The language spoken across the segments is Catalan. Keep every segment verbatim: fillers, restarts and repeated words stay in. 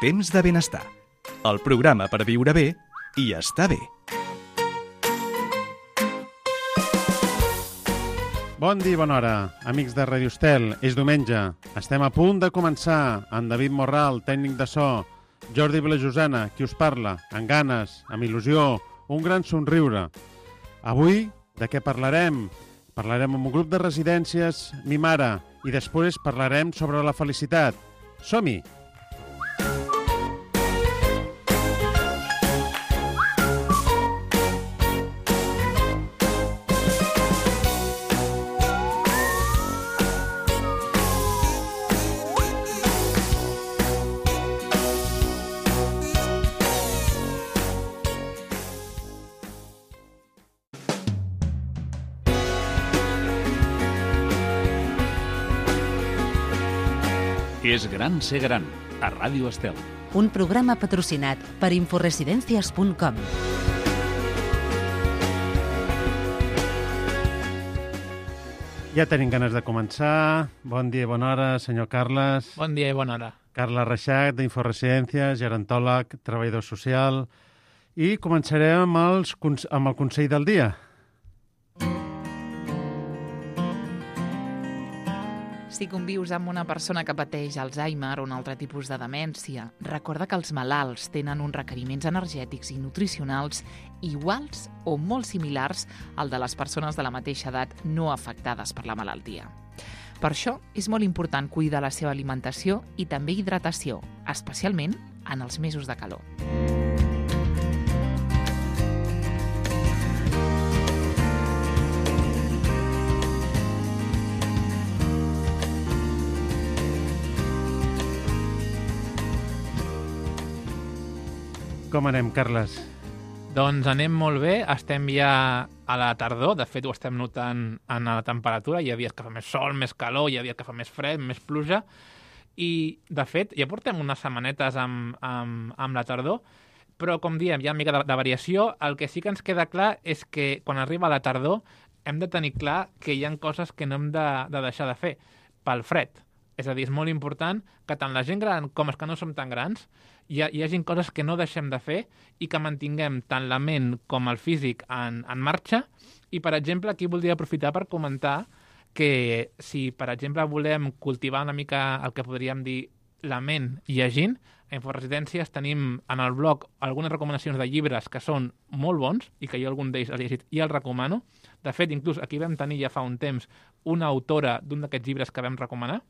Temps de benestar, el programa per viure bé i estar bé. Bon dia i bona hora, amics de Radio Estel. És diumenge. Estem a punt de començar. En David Morral, tècnic de so, Jordi Vilajosana, qui us parla, amb ganes, amb il·lusió, un gran somriure. Avui, de què parlarem? Parlarem amb un grup de residències Mi Mare i després parlarem sobre la felicitat. Som-hi! És gran ser gran, a Ràdio Estel. Un programa patrocinat per inforesidencias punt com. Ja tenim ganes de començar. Bon dia i bona hora, senyor Carles. Bon dia i bona hora. Carles Reixac, d'Inforesidències, gerontòleg, treballador social. I començarem amb, els, amb el Consell del Dia. Si convius amb una persona que pateix Alzheimer o un altre tipus de demència, recorda que els malalts tenen uns requeriments energètics i nutricionals iguals o molt similars al de les persones de la mateixa edat no afectades per la malaltia. Per això és molt important cuidar la seva alimentació i també hidratació, especialment en els mesos de calor. Com anem, Carles? Doncs anem molt bé, estem ja a la tardor, de fet ho estem notant en la temperatura, hi ha dies que fa més sol, més calor, hi ha dies que fa més fred, més pluja, i de fet ja portem unes setmanetes amb, amb, amb la tardor, però com diem, hi ha una mica de, de variació. El que sí que ens queda clar és que quan arriba la tardor hem de tenir clar que hi ha coses que no hem de, de deixar de fer pel fred. És a dir, és molt important que tant la gent gran com els que no som tan grans hi, ha, hi hagi coses que no deixem de fer i que mantinguem tant la ment com el físic en, en marxa. I, per exemple, aquí voldria aprofitar per comentar que si, per exemple, volem cultivar una mica el que podríem dir la ment llegint, a Inforesidències tenim en el blog algunes recomanacions de llibres que són molt bons i que jo algun d'ells he llegit i els recomano. De fet, inclús aquí vam tenir ja fa un temps una autora d'un d'aquests llibres que vam recomanar.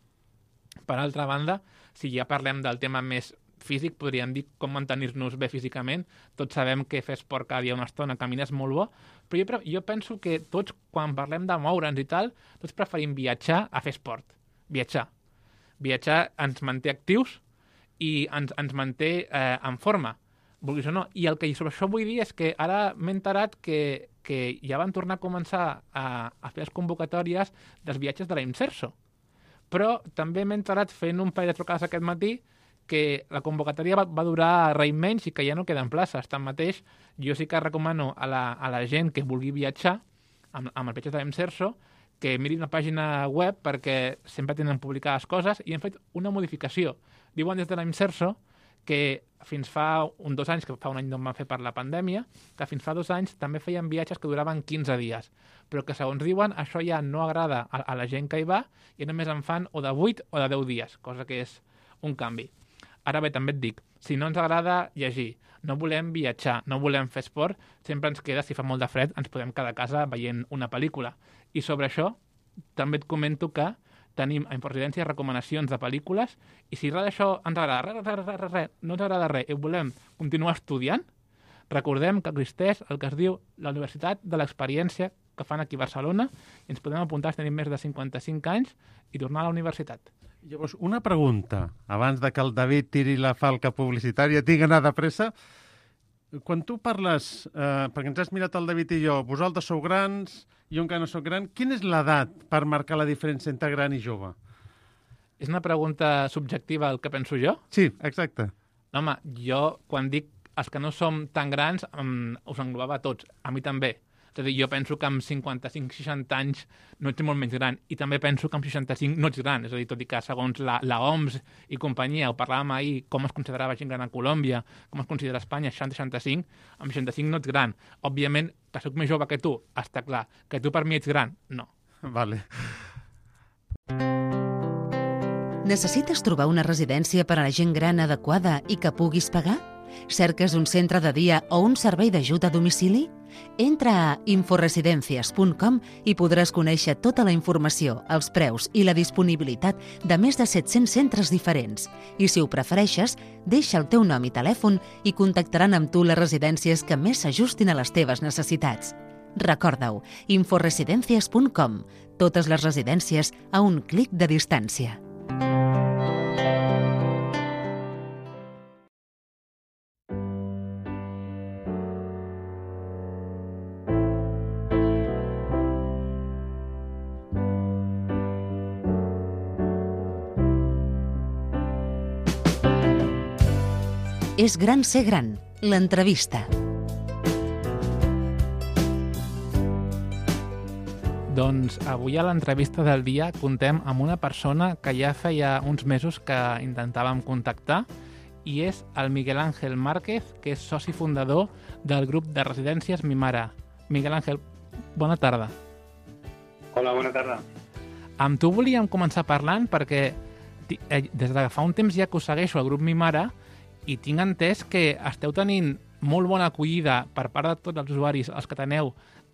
Per altra banda, si ja parlem del tema més físic, podríem dir com mantenir-nos bé físicament. Tots sabem que fer esport cada dia una estona, caminar és molt bo, però jo, jo penso que tots, quan parlem de moure'ns i tal, tots preferim viatjar a fer esport. Viatjar. Viatjar ens manté actius i ens, ens manté eh, en forma, vulguis o no. I el que sobre això vull dir és que ara m'he enterat que, que ja van tornar a començar a, a fer les convocatòries dels viatges de la Imserso. Però també m'he enterat fent un parell de trucades aquest matí que la convocatòria va, va durar res menys i que ja no queden places. Tanmateix, jo sí que recomano a la, a la gent que vulgui viatjar amb, amb els viatges de l'Imserso que miri una pàgina web perquè sempre tenen publicades coses i han fet una modificació. Diuen des de l'Imserso que fins fa un dos anys, que fa un any no van fer per la pandèmia, que fins fa dos anys també feien viatges que duraven quinze dies, però que segons diuen això ja no agrada a, a la gent que hi va i només en fan o de vuit o de deu dies, cosa que és un canvi. Ara bé, també et dic, si no ens agrada llegir, no volem viatjar, no volem fer esport, sempre ens queda, si fa molt de fred, ens podem quedar a casa veient una pel·lícula. I sobre això també et comento que tenim a Inforesidències recomanacions de pel·lícules i si res d'això ens agrada, res, res, res, res, res, no ens agrada res i volem continuar estudiant, recordem que existeix el que es diu la Universitat de l'Experiència que fan aquí a Barcelona i ens podem apuntar si tenim més de cinquanta-cinc anys i tornar a la universitat. Llavors, una pregunta, abans de que el David tiri la falca publicitària, tinc anar de pressa. Quan tu parles, eh, perquè ens has mirat el David i jo, vosaltres sou grans, jo encara no soc gran, quina és l'edat per marcar la diferència entre gran i jove? És una pregunta subjectiva el que penso jo? Sí, exacte. No, home, jo quan dic els que no som tan grans um, us englobava a tots, a mi també. És a dir, jo penso que amb cinquanta-cinc seixanta anys no ets molt menys gran, i també penso que amb seixanta-cinc no ets gran, és a dir, tot i que segons la, la O M S i companyia, ho parlàvem ahir, com es considerava gent gran a Colòmbia, com es considera a Espanya, seixanta seixanta-cinc, amb seixanta-cinc no ets gran. Òbviament, que sóc més jove que tu, està clar. Que tu per mi ets gran, no. Vale. Necessites trobar una residència per a la gent gran adequada i que puguis pagar? Cerques un centre de dia o un servei d'ajut a domicili? Entra a inforesidencias punt com i podràs conèixer tota la informació, els preus i la disponibilitat de més de set-cents centres diferents. I si ho prefereixes, deixa el teu nom i telèfon i contactaran amb tu les residències que més s'ajustin a les teves necessitats. Recorda-ho, inforesidencias punt com. Totes les residències a un clic de distància. És gran ser gran, l'entrevista. Doncs avui a l'entrevista del dia contem amb una persona que ja feia uns mesos que intentàvem contactar i és el Miguel Ángel Márquez, que és soci fundador del grup de residències Mi Mare. Miguel Ángel, bona tarda. Hola, bona tarda. Amb tu volíem començar parlant perquè des de fa un temps ja que us segueixo al grup Mi Mare i tinc entès que esteu tenint molt bona acollida per part de tots els usuaris els que teneu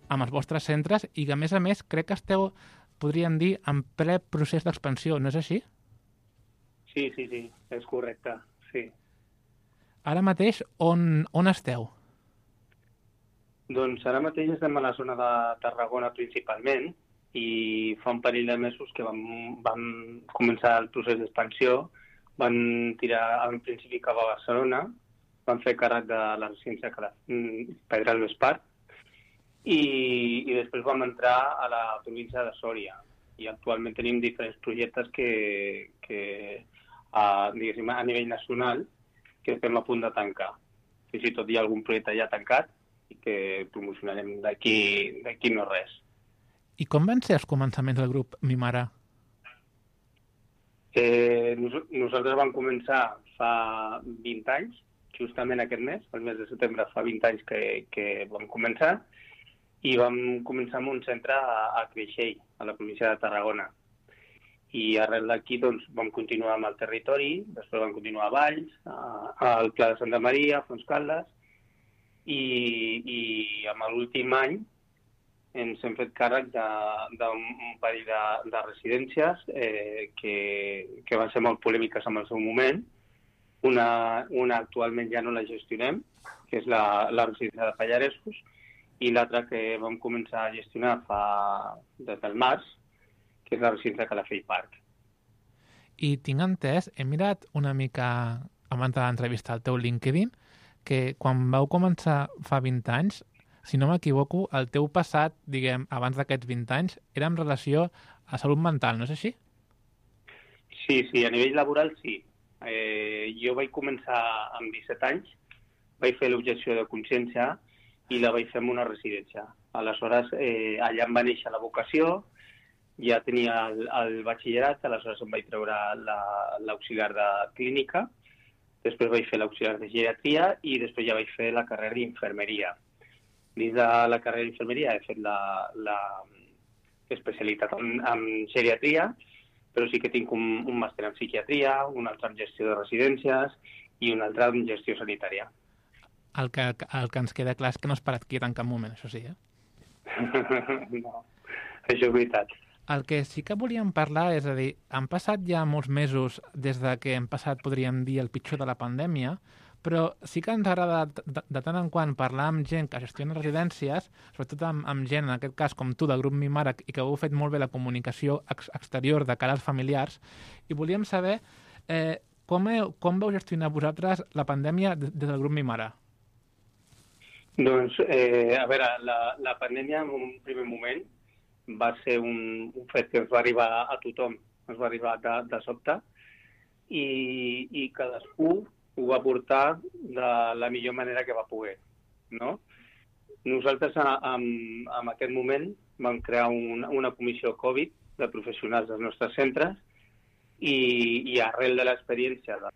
amb els vostres centres i que, a més a més, crec que esteu, podríem dir, en ple procés d'expansió, no és així? Sí, sí, sí, és correcte, sí. Ara mateix, on, on esteu? Doncs ara mateix estem a la zona de Tarragona principalment i fa un parell de mesos que vam, vam començar el procés d'expansió. Van tirar al principi cap a Barcelona, van fer càrrec de la residència Pedralbes Park i, i després vam entrar a la província de Sòria. I actualment tenim diferents projectes que, que a, diguéssim, a nivell nacional que estem a punt de tancar. Fins i tot hi ha algun projecte ja tancat i que promocionarem d'aquí d'aquí no res. I com van ser els començaments del grup Mi Mare? Eh, nos, nosaltres vam començar fa vint anys, justament aquest mes, el mes de setembre fa vint anys que, que vam començar, i vam començar amb un centre a, a Creixell, a la província de Tarragona. I arrel d'aquí doncs, vam continuar amb el territori, després vam continuar a Valls, a, al Pla de Santa Maria, a Fontscaldes, i, i amb l'últim any ens hem fet càrrec d'un parell de, de residències eh, que, que van ser molt polèmiques en el seu moment. Una, una actualment ja no la gestionem, que és la, la residència de Pallaresos, i l'altra que vam començar a gestionar fa des del març, que és la residència de Calafell Park. I tinc entès, he mirat una mica abans de l'entrevista al teu LinkedIn, que quan vau començar fa vint anys, si no m'equivoco, el teu passat, diguem, abans d'aquests vint anys, era en relació a salut mental, no és així? Sí, sí, a nivell laboral sí. Eh, jo vaig començar amb disset anys, vaig fer l'objecció de consciència i la vaig fer en una residència. Aleshores, eh, allà em va néixer la vocació, ja tenia el, el batxillerat, aleshores em vaig treure l'auxiliar de clínica, després vaig fer l'auxiliar de geriatria i després ja vaig fer la carrera d'infermeria. Dins de la carrera d'infermeria he fet la, la especialitat en, en geriatria, però sí que tinc un, un màster en psiquiatria, un altre en gestió de residències i un altre en gestió sanitària. El que, el que ens queda clar és que no has parat quiet en cap moment, això sí, eh? No, això és veritat. El que sí que volíem parlar és a dir, han passat ja molts mesos des de que hem passat, podríem dir, el pitjor de la pandèmia, però sí que ens agrada de, de, de tant en quant parlar amb gent que gestiona residències, sobretot amb, amb gent, en aquest cas com tu, del grup Mi Mare, i que heu fet molt bé la comunicació ex exterior de cara als familiars, i volíem saber eh, com, heu, com veu gestionar vosaltres la pandèmia des del grup Mi Mare? Doncs, eh, a veure, la, la pandèmia en un primer moment va ser un, un fet que ens va arribar a tothom, ens va arribar de, de sobte, i, i cadascú ho va portar de la millor manera que va poder, no? Nosaltres, en, en aquest moment, vam crear una, una comissió Covid de professionals dels nostres centres i, i arrel de l'experiència, de,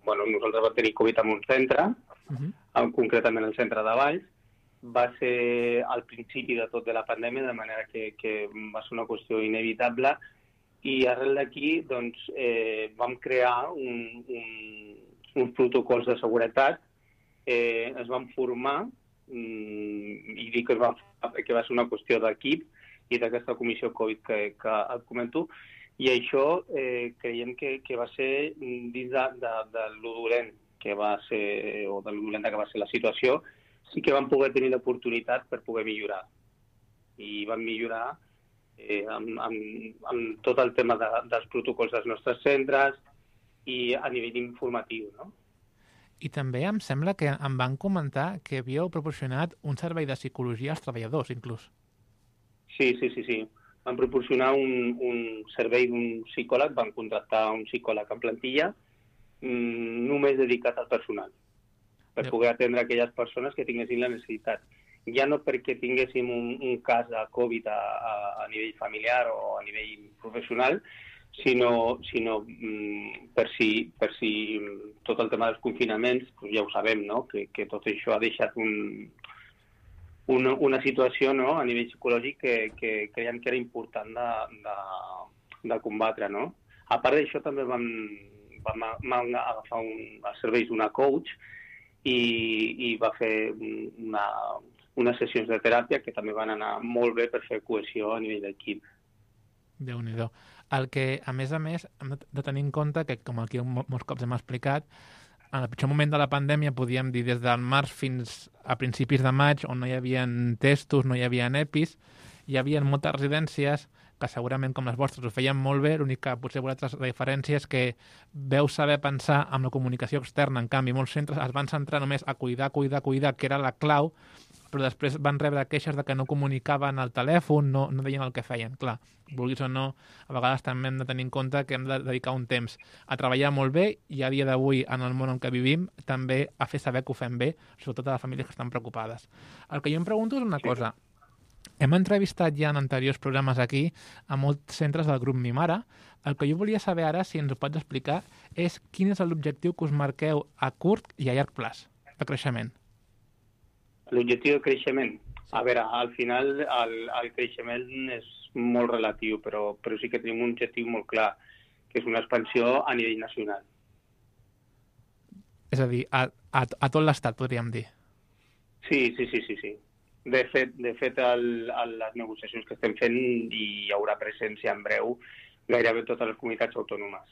bueno, nosaltres vam tenir Covid en un centre, uh-huh. concretament el centre de Valls, va ser al principi de tot de la pandèmia, de manera que, que va ser una qüestió inevitable, i arrel d'aquí doncs, eh, vam crear un, un, uns protocols de seguretat, eh, es van formar, mm, i dic que, es va, que va ser una qüestió d'equip i d'aquesta comissió Covid que, que et comento, i això eh, creiem que, que va ser dins de, de, de lo dolent que va ser, o de lo dolenta que va ser la situació, sí que vam poder tenir l'oportunitat per poder millorar. I vam millorar eh, amb, amb, amb tot el tema de, dels protocols dels nostres centres i a nivell informatiu, no? I també em sembla que em van comentar que havíeu proporcionat un servei de psicologia als treballadors, inclús. Sí, sí, sí, sí. Van proporcionar un, un servei d'un psicòleg, van contractar un psicòleg en plantilla mmm, només dedicat al personal, per sí. poder atendre aquelles persones que tinguessin la necessitat. Ja no perquè tinguéssim un, un cas de Covid a, a, a nivell familiar o a nivell professional, sinó, sinó mm, per, si, per si tot el tema dels confinaments, doncs ja ho sabem, no? que, que tot això ha deixat un, una, una situació, no? a nivell psicològic que, que creiem que era important de, de, de combatre. No? A part d'això també vam, vam, vam agafar un, els serveis d'una coach i, i va fer una, unes sessions de teràpia que també van anar molt bé per fer cohesió a nivell d'equip. Déu-n'hi-do. El que, a més a més, hem de tenir en compte que, com aquí molts cops hem explicat, en el pitjor moment de la pandèmia, podíem dir des del març fins a principis de maig, on no hi havia testos, no hi havia EPIs, hi havia moltes residències que segurament, com les vostres, ho feien molt bé, l'únic que potser vosaltres la diferència és que veu saber pensar amb la comunicació externa. En canvi, molts centres es van centrar només a cuidar, cuidar, cuidar, que era la clau, però després van rebre queixes de que no comunicaven al telèfon, no, no deien el que feien. Clar, vulguis o no, a vegades també hem de tenir en compte que hem de dedicar un temps a treballar molt bé i a dia d'avui, en el món en què vivim, també a fer saber que ho fem bé, sobretot a les famílies que estan preocupades. El que jo em pregunto és una cosa. Hem entrevistat ja en anteriors programes aquí a molts centres del grup Mimara. El que jo volia saber ara, si ens ho pots explicar, és quin és l'objectiu que us marqueu a curt i a llarg plaç de creixement. L'objectiu de creixement? A veure, al final el, el creixement és molt relatiu, però, però sí que tenim un objectiu molt clar, que és una expansió a nivell nacional. És a dir, a, a, a tot l'estat, podríem dir. Sí, sí, sí, sí. sí. De fet, de fet el, el, les negociacions que estem fent hi haurà presència en breu gairebé totes les comunitats autònomes.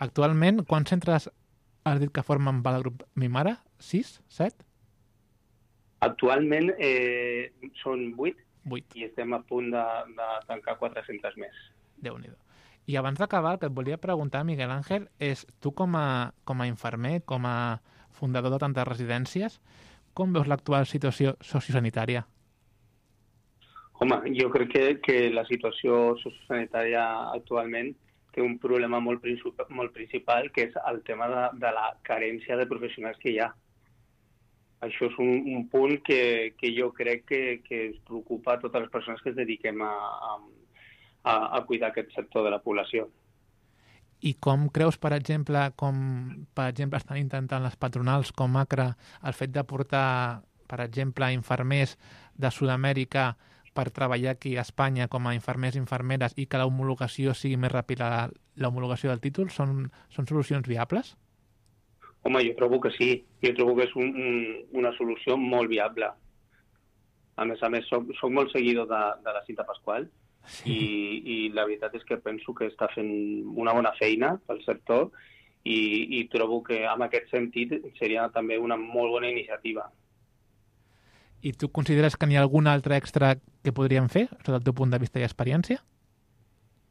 Actualment, quants centres has dit que formen part del grup Mimara? Sis? Set? Actualment eh, són vuit, vuit i estem a punt de, de tancar quatre centres més. Déu-n'hi-do. I abans d'acabar, el que et volia preguntar, Miguel Ángel, és tu com a, com a infermer, com a fundador de tantes residències, com veus l'actual situació sociosanitària? Home, jo crec que, que la situació sociosanitària actualment té un problema molt, princip molt principal, que és el tema de, de la carència de professionals que hi ha. Això és un, un punt que, que jo crec que, que ens preocupa a totes les persones que es dediquem a, a, a cuidar aquest sector de la població. I com creus, per exemple, com per exemple estan intentant les patronals com ACRA el fet de portar, per exemple, infermers de Sud-amèrica per treballar aquí a Espanya com a infermers i infermeres i que l'homologació sigui més ràpida, l'homologació del títol, són, són solucions viables? Home, jo trobo que sí. Jo trobo que és un, un, una solució molt viable. A més a més, soc, soc molt seguidor de, de la Cinta Pasqual sí. i, i la veritat és que penso que està fent una bona feina pel sector i, i trobo que en aquest sentit seria també una molt bona iniciativa. I tu consideres que n'hi ha algun altre extra que podríem fer, des del teu punt de vista i experiència?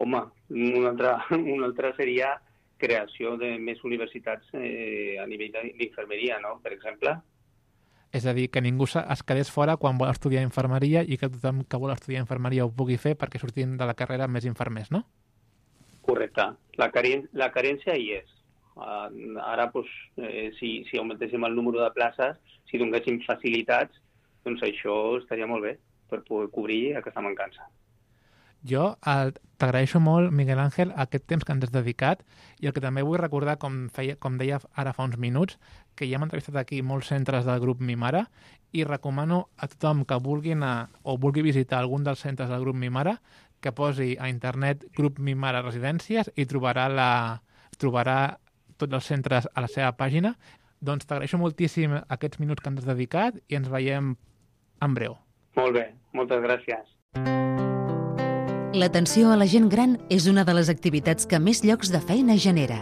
Home, un altre, un altre seria creació de més universitats eh, a nivell d'infermeria, no?, per exemple. És a dir, que ningú es quedés fora quan vol estudiar infermeria i que tothom que vol estudiar infermeria ho pugui fer perquè sortim de la carrera més infermers, no? Correcte. La, caren la carència hi és. Uh, ara, pues, eh, si, si augmentéssim el número de places, si donéssim facilitats, doncs això estaria molt bé per poder cobrir aquesta mancança. Jo el- t'agraeixo molt, Miguel Ángel, aquest temps que ens has dedicat i el que també vull recordar, com, feia, com deia ara fa uns minuts, que ja hem entrevistat aquí molts centres del grup Mimara i recomano a tothom que vulgui anar o vulgui visitar algun dels centres del grup Mimara que posi a internet grup Mimara Residències i trobarà, la, trobarà tots els centres a la seva pàgina. Doncs t'agraeixo moltíssim aquests minuts que ens has dedicat i ens veiem en breu. Molt bé, moltes gràcies. L'atenció a la gent gran és una de les activitats que més llocs de feina genera.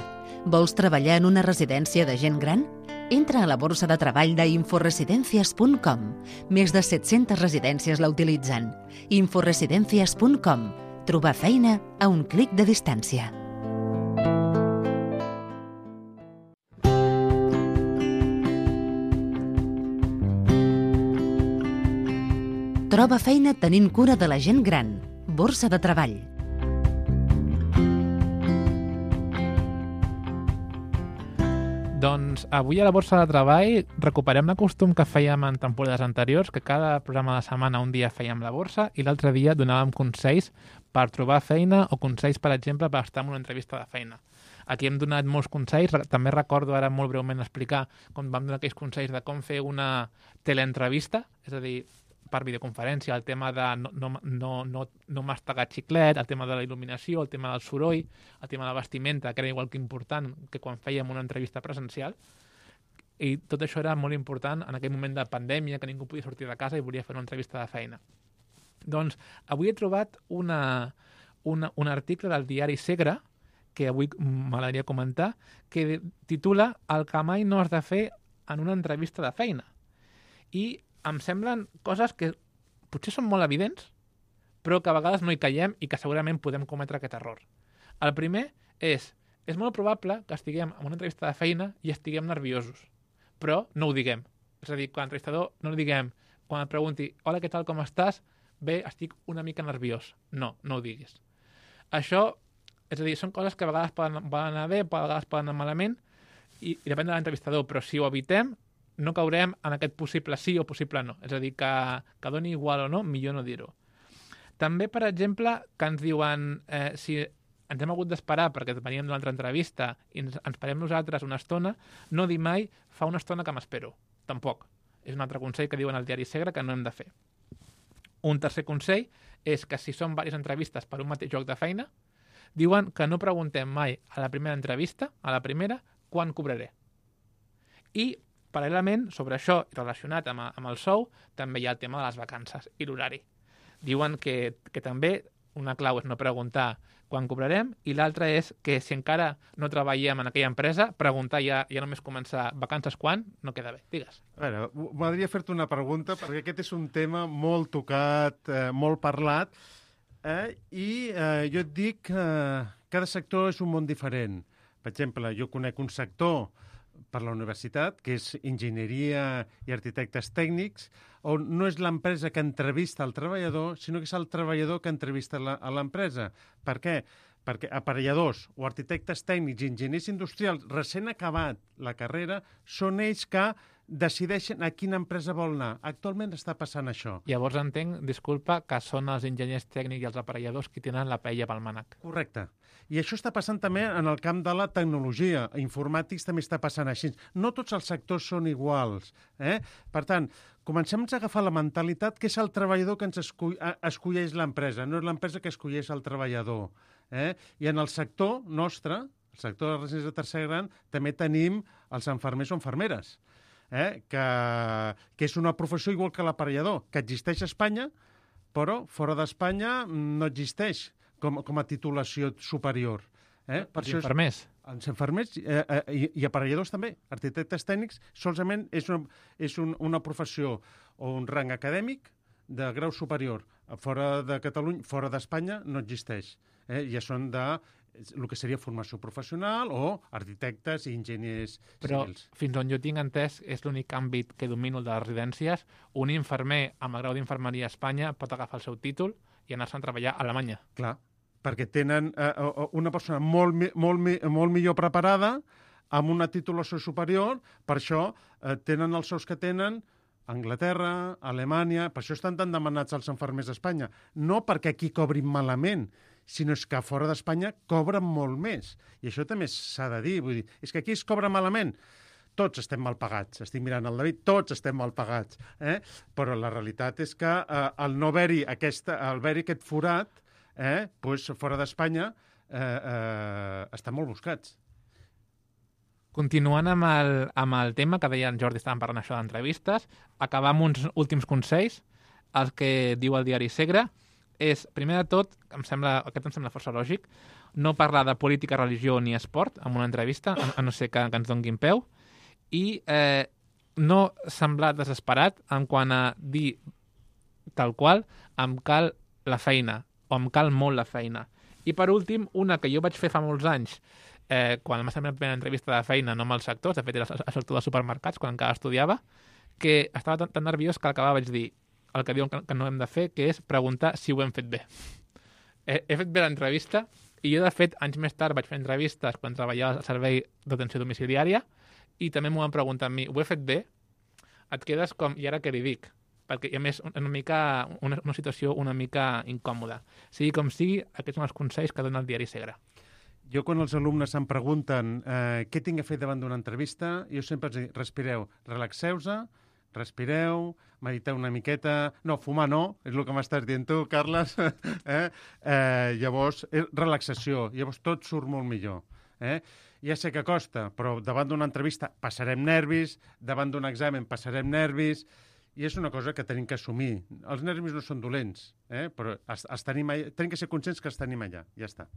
Vols treballar en una residència de gent gran? Entra a la borsa de treball d'inforesidencias punt com. Més de set-centes residències la utilitzen. inforesidencias punt com. Trobar feina a un clic de distància. Troba feina tenint cura de la gent gran. Borsa de treball. Doncs avui a la Borsa de Treball recuperem el costum que fèiem en temporades anteriors, que cada programa de setmana un dia fèiem la borsa i l'altre dia donàvem consells per trobar feina o consells, per exemple, per estar en una entrevista de feina. Aquí hem donat molts consells, també recordo ara molt breument explicar com vam donar aquells consells de com fer una teleentrevista, és a dir, per videoconferència, el tema de no, no, no, no, no mastegar xiclet, el tema de la il·luminació, el tema del soroll, el tema de la vestimenta, que era igual que important que quan fèiem una entrevista presencial. I tot això era molt important en aquell moment de pandèmia, que ningú podia sortir de casa i volia fer una entrevista de feina. Doncs avui he trobat una, una, un article del diari Segre, que avui m'agradaria comentar, que titula El que mai no has de fer en una entrevista de feina. I em semblen coses que potser són molt evidents, però que a vegades no hi caiem i que segurament podem cometre aquest error. El primer és, és molt probable que estiguem en una entrevista de feina i estiguem nerviosos, però no ho diguem. És a dir, quan l'entrevistador no ho diguem, quan et pregunti, hola, què tal, com estàs? Bé, estic una mica nerviós. No, no ho diguis. Això, és a dir, són coses que a vegades poden, poden anar bé, a vegades poden anar malament, i, i depèn de l'entrevistador, però si ho evitem, no caurem en aquest possible sí o possible no. És a dir, que, que doni igual o no, millor no dir-ho. També, per exemple, que ens diuen eh, si ens hem hagut d'esperar perquè veníem d'una altra entrevista i ens, ens parem nosaltres una estona, no dir mai fa una estona que m'espero. Tampoc. És un altre consell que diuen al diari Segre que no hem de fer. Un tercer consell és que si són diverses entrevistes per un mateix lloc de feina, diuen que no preguntem mai a la primera entrevista, a la primera, quan cobraré. I paral·lelament, sobre això, relacionat amb, amb el sou, també hi ha el tema de les vacances i l'horari. Diuen que, que també una clau és no preguntar quan cobrarem i l'altra és que si encara no treballem en aquella empresa, preguntar ja, ja només començar vacances quan, no queda bé. Digues. A veure, m'agradaria fer-te una pregunta, perquè aquest és un tema molt tocat, eh, molt parlat, eh, i eh, jo et dic que eh, cada sector és un món diferent. Per exemple, jo conec un sector per la universitat, que és enginyeria i arquitectes tècnics, on no és l'empresa que entrevista el treballador, sinó que és el treballador que entrevista la, a l'empresa. Per què? Perquè aparelladors o arquitectes tècnics i enginyers industrials recent acabat la carrera són ells que decideixen a quina empresa vol anar. Actualment està passant això. Llavors entenc, disculpa, que són els enginyers tècnics i els aparelladors qui tenen la paella pel mànec. Correcte. I això està passant també en el camp de la tecnologia. Informàtics també està passant així. No tots els sectors són iguals. Eh? Per tant, comencem a agafar la mentalitat que és el treballador que ens escull, escolleix l'empresa, no és l'empresa que escolleix el treballador. Eh? I en el sector nostre, el sector de les residències de tercer gran, també tenim els infermers o infermeres, eh? que, que és una professió igual que l'aparellador, que existeix a Espanya, però fora d'Espanya no existeix com, com a titulació superior. Eh? Per els infermers. Els infermers eh, eh, i, i aparelladors també. Arquitectes tècnics solament és, una, és un, una professió o un rang acadèmic de grau superior. Fora de Catalunya, fora d'Espanya, no existeix. Eh? Ja són de el que seria formació professional o arquitectes i enginyers Però, civils. Però fins on jo tinc entès, és l'únic àmbit que domino de les residències. Un infermer amb el grau d'infermeria a Espanya pot agafar el seu títol i anar-se'n a treballar a Alemanya. Clar. Perquè tenen eh, una persona molt, molt, molt millor preparada, amb una titulació superior, per això eh, tenen els sous que tenen Anglaterra, Alemanya, per això estan tan demanats els infermers a Espanya. No perquè aquí cobrin malament, sinó és que fora d'Espanya cobren molt més. I això també s'ha de dir. Vull dir, és que aquí es cobra malament. Tots estem mal pagats. Estic mirant el David, tots estem mal pagats. Eh? Però la realitat és que eh, el no haver-hi aquesta, el haver-hi aquest forat, eh, doncs fora d'Espanya, eh, eh, estan molt buscats. Continuant amb el, amb el tema que deia en Jordi, estàvem parlant això d'entrevistes, acabar amb uns últims consells, el que diu el diari Segre, és, primer de tot, em sembla, aquest em sembla força lògic, no parlar de política, religió ni esport en una entrevista, a, a no ser que, que ens donguin peu, i eh, no semblar desesperat en quant a dir tal qual, em cal la feina, o em cal molt la feina. I per últim, una que jo vaig fer fa molts anys, Eh, quan em va fer la primera entrevista de feina, no amb els sectors, de fet era el sector dels supermercats, quan encara estudiava, que estava tan, tan nerviós que al acabar vaig dir el que diuen que, que no hem de fer, que és preguntar si ho hem fet bé. He, he fet bé l'entrevista, i jo, de fet, anys més tard vaig fer entrevistes quan treballava al servei d'atenció domiciliària, i també m'ho van preguntar a mi, ho he fet bé? Et quedes com, i ara què li dic? Perquè, a més, una, mica, una, una situació una mica incòmoda. Sigui com sigui, aquests són els consells que dona el diari Segre. Jo, quan els alumnes em pregunten eh, què tinc a fer davant d'una entrevista, jo sempre els dic, respireu, relaxeu-se, respireu, mediteu una miqueta... No, fumar no, és el que m'estàs dient tu, Carles. eh? Eh, llavors, relaxació, llavors tot surt molt millor. Eh? Ja sé que costa, però davant d'una entrevista passarem nervis, davant d'un examen passarem nervis, i és una cosa que tenim que assumir. Els nervis no són dolents, eh? però els, els tenim, tenim que ser conscients que els tenim allà, ja està.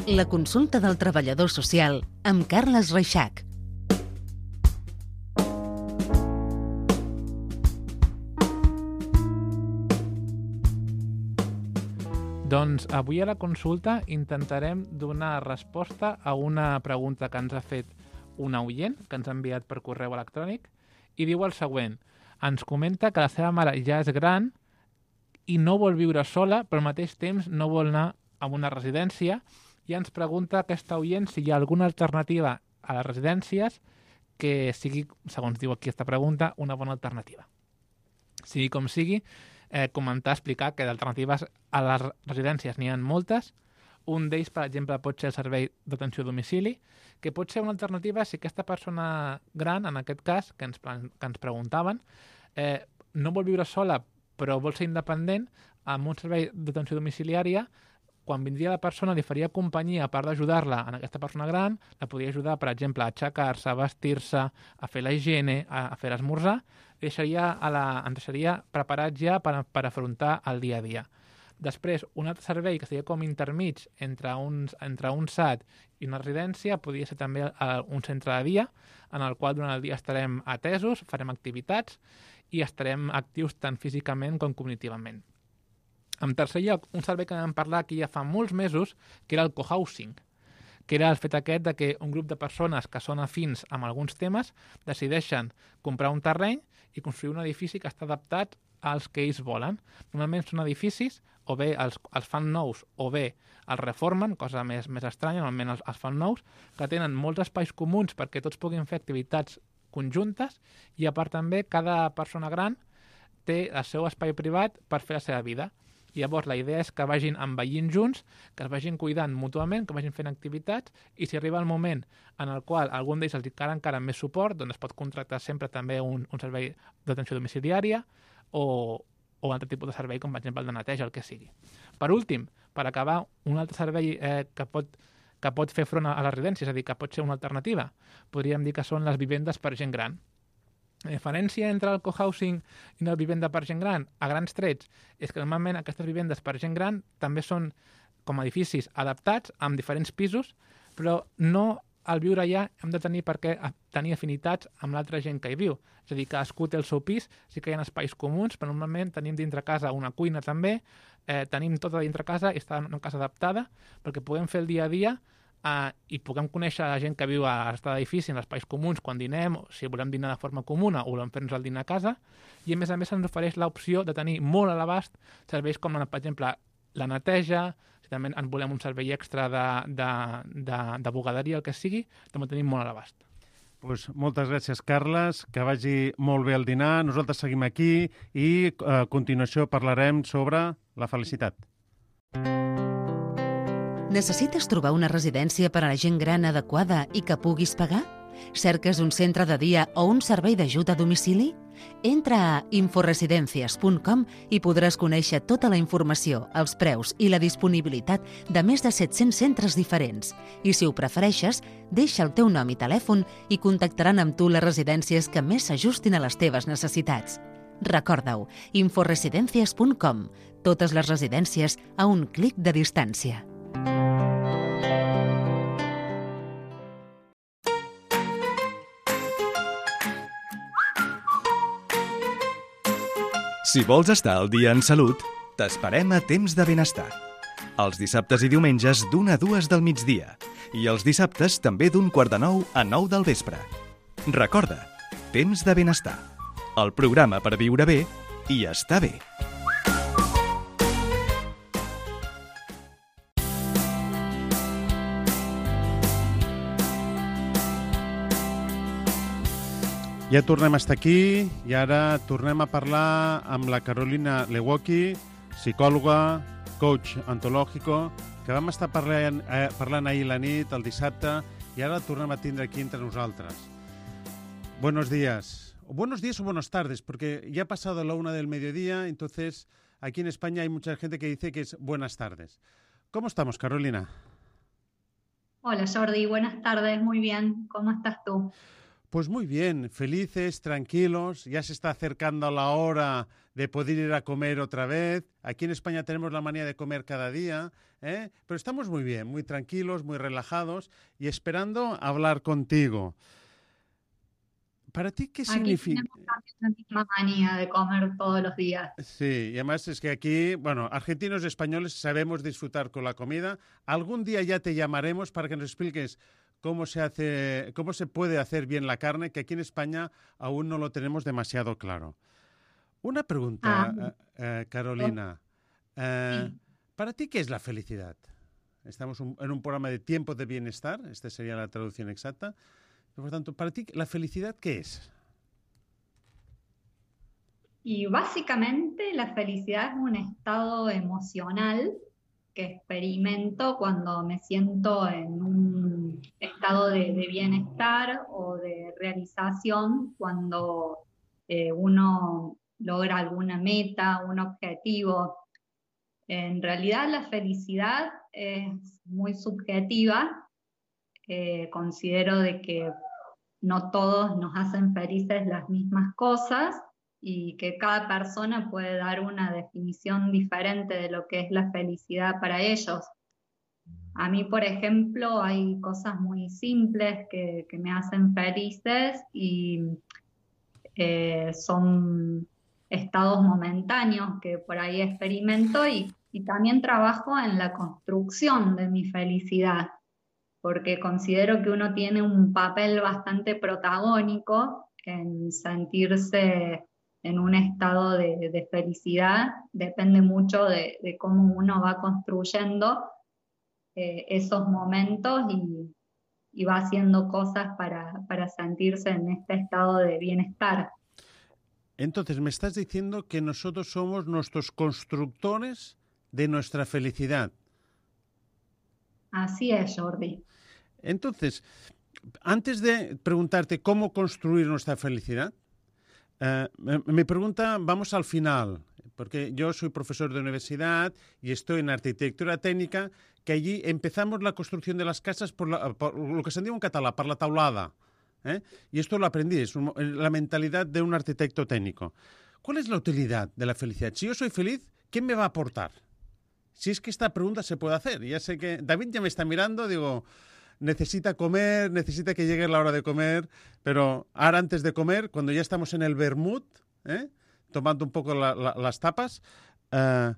La consulta del treballador social amb Carles Reixac. Doncs avui a la consulta intentarem donar resposta a una pregunta que ens ha fet una oient, que ens ha enviat per correu electrònic, i diu el següent. Ens comenta que la seva mare ja és gran i no vol viure sola, però al mateix temps no vol anar a una residència, i ens pregunta aquesta oient si hi ha alguna alternativa a les residències que sigui, segons diu aquí aquesta pregunta, una bona alternativa. Sigui com sigui, eh, comentar, explicar que d'alternatives a les residències n'hi ha moltes. Un d'ells, per exemple, pot ser el servei d'atenció a domicili, que pot ser una alternativa si aquesta persona gran, en aquest cas, que ens, que ens preguntaven, eh, no vol viure sola, però vol ser independent, amb un servei d'atenció domiciliària, quan vindria la persona li faria companyia, a part d'ajudar-la en aquesta persona gran, la podria ajudar, per exemple, a aixecar-se, a vestir-se, a fer la higiene, a, a fer l'esmorzar, i deixaria a la, ens deixaria preparats ja per, per afrontar el dia a dia. Després, un altre servei que seria com intermig entre, uns, entre un S A T i una residència podria ser també un centre de dia, en el qual durant el dia estarem atesos, farem activitats i estarem actius tant físicament com cognitivament. En tercer lloc, un servei que vam parlar aquí ja fa molts mesos, que era el cohousing, que era el fet aquest de que un grup de persones que són afins amb alguns temes decideixen comprar un terreny i construir un edifici que està adaptat als que ells volen. Normalment són edificis, o bé els, els fan nous o bé els reformen, cosa més, més estranya, normalment els, els fan nous, que tenen molts espais comuns perquè tots puguin fer activitats conjuntes i a part també cada persona gran té el seu espai privat per fer la seva vida. I llavors la idea és que vagin envellint junts, que es vagin cuidant mútuament, que vagin fent activitats, i si arriba el moment en el qual algun d'ells els cal encara més suport, doncs es pot contractar sempre també un, un servei d'atenció domiciliària o, o un altre tipus de servei, com per exemple el de neteja, el que sigui. Per últim, per acabar, un altre servei eh, que, pot, que pot fer front a la residència, és a dir, que pot ser una alternativa, podríem dir que són les vivendes per gent gran. La diferència entre el cohousing i una vivenda per gent gran, a grans trets, és que normalment aquestes vivendes per gent gran també són com edificis adaptats amb diferents pisos, però no al viure allà hem de tenir per què tenir afinitats amb l'altra gent que hi viu. És a dir, cadascú té el seu pis, sí que hi ha espais comuns, però normalment tenim dintre casa una cuina també, eh, tenim tot a dintre casa i està en una casa adaptada perquè podem fer el dia a dia uh, i puguem conèixer la gent que viu a l'estat d'edifici, en espais comuns, quan dinem, o si volem dinar de forma comuna o volem fer-nos el dinar a casa, i a més a més ens ofereix l'opció de tenir molt a l'abast serveis com, per exemple, la neteja, si també en volem un servei extra de, de, de, de bugaderia, el que sigui, també tenim molt a l'abast. Pues moltes gràcies, Carles, que vagi molt bé el dinar. Nosaltres seguim aquí i a continuació parlarem sobre la felicitat. Necessites trobar una residència per a la gent gran adequada i que puguis pagar? Cerques un centre de dia o un servei d'ajut a domicili? Entra a inforesidencias punt com i podràs conèixer tota la informació, els preus i la disponibilitat de més de set-cents centres diferents. I si ho prefereixes, deixa el teu nom i telèfon i contactaran amb tu les residències que més s'ajustin a les teves necessitats. Recorda-ho, inforesidencias punt com. Totes les residències a un clic de distància. Si vols estar al dia en salut, t'esperem a Temps de Benestar. Els dissabtes i diumenges d'una a dues del migdia i els dissabtes també d'un quart de nou a nou del vespre. Recorda, Temps de Benestar, el programa per viure bé i estar bé. Ja tornem a estar aquí i ara tornem a parlar amb la Carolina Lewocki, psicòloga, coach ontològico, que vam estar parlant, eh, parlant ahir la nit, el dissabte, i ara la tornem a tindre aquí entre nosaltres. Buenos días. O buenos días o buenas tardes, porque ya ha pasado la una del mediodía, entonces aquí en España hay mucha gente que dice que es buenas tardes. ¿Cómo estamos, Carolina? Hola, Jordi. Buenas tardes. Muy bien. ¿Cómo estás tú? Pues muy bien, felices, tranquilos, ya se está acercando la hora de poder ir a comer otra vez. Aquí en España tenemos la manía de comer cada día, ¿eh? Pero estamos muy bien, muy tranquilos, muy relajados y esperando hablar contigo. ¿Para ti qué significa? Aquí tenemos la misma manía de comer todos los días. Sí, y además es que aquí, bueno, argentinos y españoles sabemos disfrutar con la comida. Algún día ya te llamaremos para que nos expliques cómo se hace, cómo se puede hacer bien la carne, que aquí en España aún no lo tenemos demasiado claro. Una pregunta, ah, eh, Carolina. Eh, sí. ¿Para ti qué es la felicidad? Estamos un, en un programa de tiempo de bienestar, esta sería la traducción exacta. Por tanto, para ti, ¿la felicidad qué es? Y básicamente la felicidad es un estado emocional que experimento cuando me siento en un estado de, de bienestar o de realización, cuando eh, uno logra alguna meta, un objetivo. En realidad la felicidad es muy subjetiva. Eh, considero de que no todos nos hacen felices las mismas cosas y que cada persona puede dar una definición diferente de lo que es la felicidad para ellos. A mí, por ejemplo, hay cosas muy simples que, que me hacen felices y eh, son estados momentáneos que por ahí experimento y, y también trabajo en la construcción de mi felicidad, porque considero que uno tiene un papel bastante protagónico en sentirse en un estado de, de felicidad. Depende mucho de, de cómo uno va construyendo eh, esos momentos y, y va haciendo cosas para, para sentirse en este estado de bienestar. Entonces, me estás diciendo que nosotros somos nuestros constructores de nuestra felicidad. Así es, Jordi. Entonces, antes de preguntarte cómo construir nuestra felicidad, Uh, mi pregunta, vamos al final, porque yo soy profesor de universidad y estoy en arquitectura técnica, que allí empezamos la construcción de las casas por, la, por lo que se diu en català, por la taulada. ¿eh? Y esto lo aprendí, es un, la mentalidad de un arquitecto técnico. ¿Cuál es la utilidad de la felicidad? Si yo soy feliz, ¿qué me va a aportar? Si es que esta pregunta se puede hacer. Ya sé que David ya me está mirando, digo... necesita comer, necesita que llegue la hora de comer, pero ahora antes de comer, cuando ya estamos en el vermut, ¿eh? tomando un poco la, la, las tapas, uh,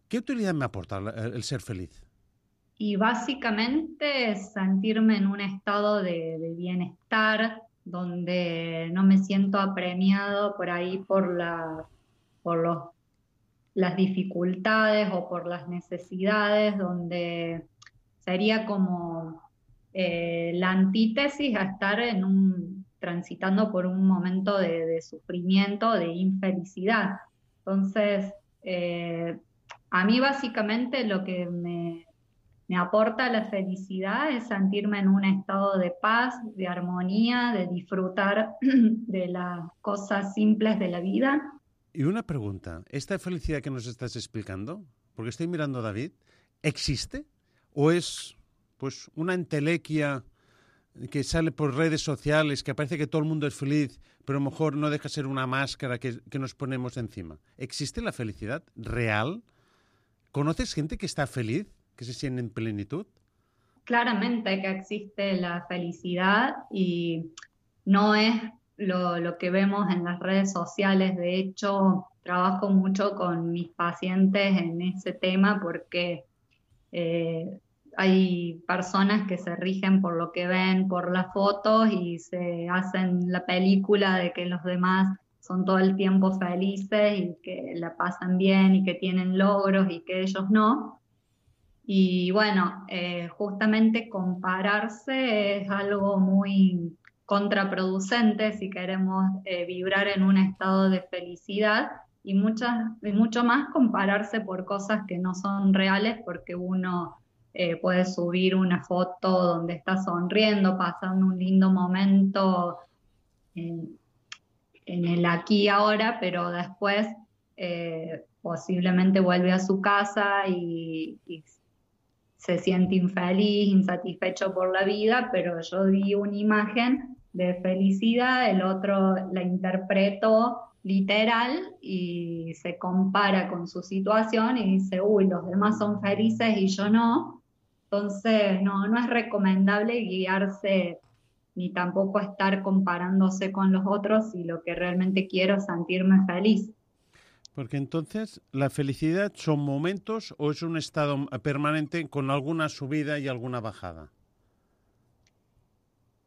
¿qué utilidad me aporta el, el ser feliz? Y básicamente sentirme en un estado de, de bienestar, donde no me siento apremiado por ahí por, la, por los, las dificultades o por las necesidades, donde sería como eh, la antítesis a estar en un, transitando por un momento de, de sufrimiento, de infelicidad. Entonces, eh, a mí básicamente lo que me, me aporta la felicidad es sentirme en un estado de paz, de armonía, de disfrutar de las cosas simples de la vida. Y una pregunta, ¿esta felicidad que nos estás explicando, porque estoy mirando a David, ¿existe? ¿O es pues una entelequia que sale por redes sociales, que parece que todo el mundo es feliz, pero a lo mejor no deja ser una máscara que, que nos ponemos encima? ¿Existe la felicidad real? ¿Conoces gente que está feliz, que se siente en plenitud? Claramente que existe la felicidad y no es lo, lo que vemos en las redes sociales. De hecho, trabajo mucho con mis pacientes en ese tema porque eh, hay personas que se rigen por lo que ven, por las fotos y se hacen la película de que los demás son todo el tiempo felices y que la pasan bien y que tienen logros y que ellos no. Y bueno, eh, justamente compararse es algo muy contraproducente si queremos eh, vibrar en un estado de felicidad y, muchas, y mucho más compararse por cosas que no son reales, porque uno eh, puede subir una foto donde está sonriendo, pasando un lindo momento en, en el aquí y ahora, pero después eh, posiblemente vuelve a su casa y, y se siente infeliz, insatisfecho por la vida, pero yo di una imagen de felicidad, el otro la interpretó literal y se compara con su situación y dice, uy, los demás son felices y yo no. Entonces no, no es recomendable guiarse ni tampoco estar comparándose con los otros si lo que realmente quiero es sentirme feliz. Porque entonces, ¿la felicidad son momentos o es un estado permanente con alguna subida y alguna bajada?